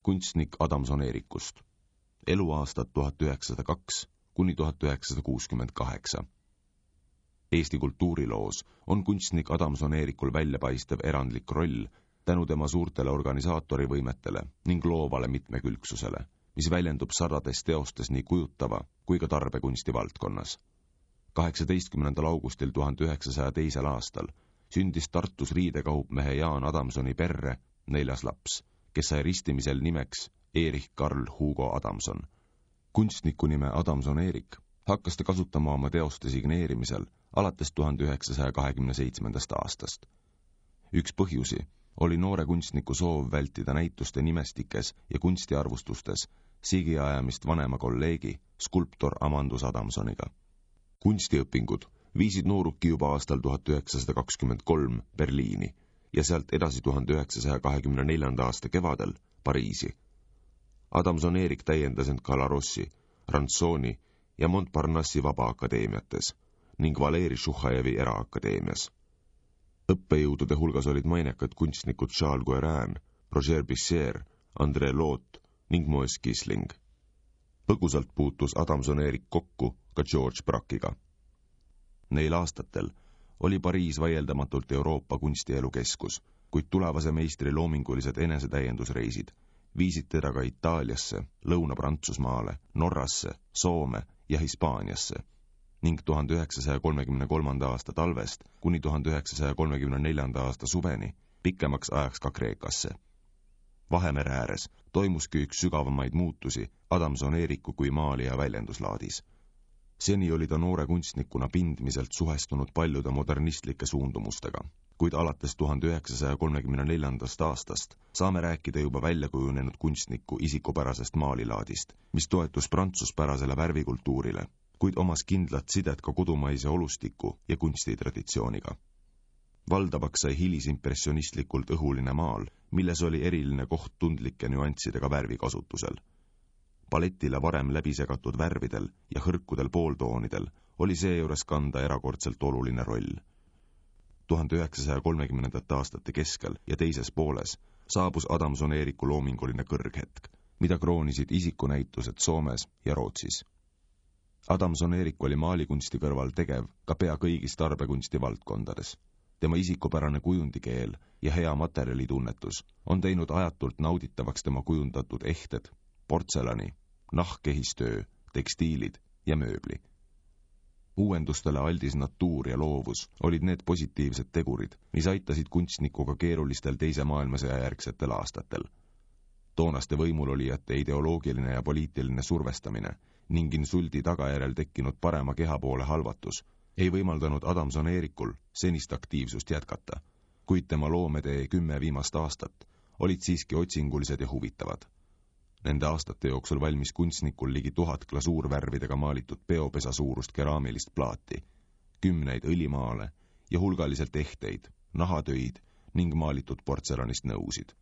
kunstnik Adamson Eerikust. Eluaastad 1902 kuni 1968. Eesti kultuuriloos on kunstnik Adamson Eerikul väljapaistev erandlik roll tänu tema suurtele organisaatori võimetele ning loovale mitmekülgsusele, mis väljendub sadades teostes nii kujutava kui ka tarbekunsti valdkonnas. 18. augustil 1902. aastal sündis Tartus riidekaupmehe Jaan Adamsoni perre 4. laps, kes sai ristimisel nimeks Erich Karl Hugo Adamson. Kunstniku nime Adamson Eerik hakkas ta kasutama oma teoste signeerimisel alates 1927. aastast. Üks põhjusi oli noore kunstniku soov vältida näituste nimestikes ja kunstiarvustustes sigiajamist vanema kolleegi, skulptor Amandus Adamsoniga. Kunstiõpingud viisid nooruki juba aastal 1923 Berliini ja sealt edasi 1924. aasta kevadel Pariisi. Adamson Eerik täiendas end Galarossi, Ranzoni ja Montparnassi vabaakadeemiates ning Valeri Šuhajevi eraakadeemias. Õppejõudude hulgas olid mainekad kunstnikud Charles Guérin, Roger Bissier, André Loot ning Moes Kisling. Põgusalt puutus Adamson Eerik kokku ka George Brackiga. Neil aastatel oli Pariis vaieldamatult Euroopa kunstielu keskus, kuid tulevase meistri loomingulised enesetäiendusreisid viisid teda ka Itaaliasse, Lõuna-Prantsusmaale, Norrasse, Soome ja Hispaaniasse ning 1933. aasta talvest kuni 1934. aasta suveni pikemaks ajaks ka Kreekasse. Vahemere ääres toimuski üks sügavamaid muutusi Adamson Eeriku kui maalija väljenduslaadis. Seni oli ta noore kunstnikuna pindmiselt suhestunud paljude modernistlike suundumustega, kuid alates 1934. aastast saame rääkida juba väljakujunenud kunstniku isikupärasest maalilaadist, mis toetus prantsuspärasele värvikultuurile, kuid omas kindlat sidet ka kodumaise olustiku ja kunstitraditsiooniga. Valdavaks sai hilisimpressionistlikult õhuline maal, milles oli eriline koht tundlike nüanssidega värvikasutusel. Paletile varem läbisegatud värvidel ja hõrkudel pooltoonidel oli seejuures kanda erakordselt oluline roll. 1930. aastate keskel ja teises pooles saabus Adamson Eeriku loominguline kõrghetk, mida kroonisid isikunäitused Soomes ja Rootsis. Adamson Eerik oli maalikunsti kõrval tegev ka pea kõigis tarbekunsti valdkondades. Tema isikupärane kujundikeel ja hea materjalitunnetus on teinud ajatult nauditavaks tema kujundatud ehted, portselani, nahkehistöö, tekstiilid ja mööbli. Uuendustele aldis natuur ja loovus olid need positiivsed tegurid, mis aitasid kunstnikuga keerulistel teise maailmasõja järgsetel aastatel. Toonaste võimulolijate ideoloogiline ja poliitiline survestamine ning insuldi tagajärjel tekkinud parema keha poole halvatus ei võimaldanud Adamson Eerikul senist aktiivsust jätkata, kuid tema loomedee 10 viimast aastat olid siiski otsingulised ja huvitavad. Nende aastate jooksul valmis kunstnikul ligi 1000 glasuurvärvidega maalitud peopesa suurust keraamilist plaati, 10 õlimaale ja hulgaliselt ehteid, nahatöid ning maalitud portselanist nõusid.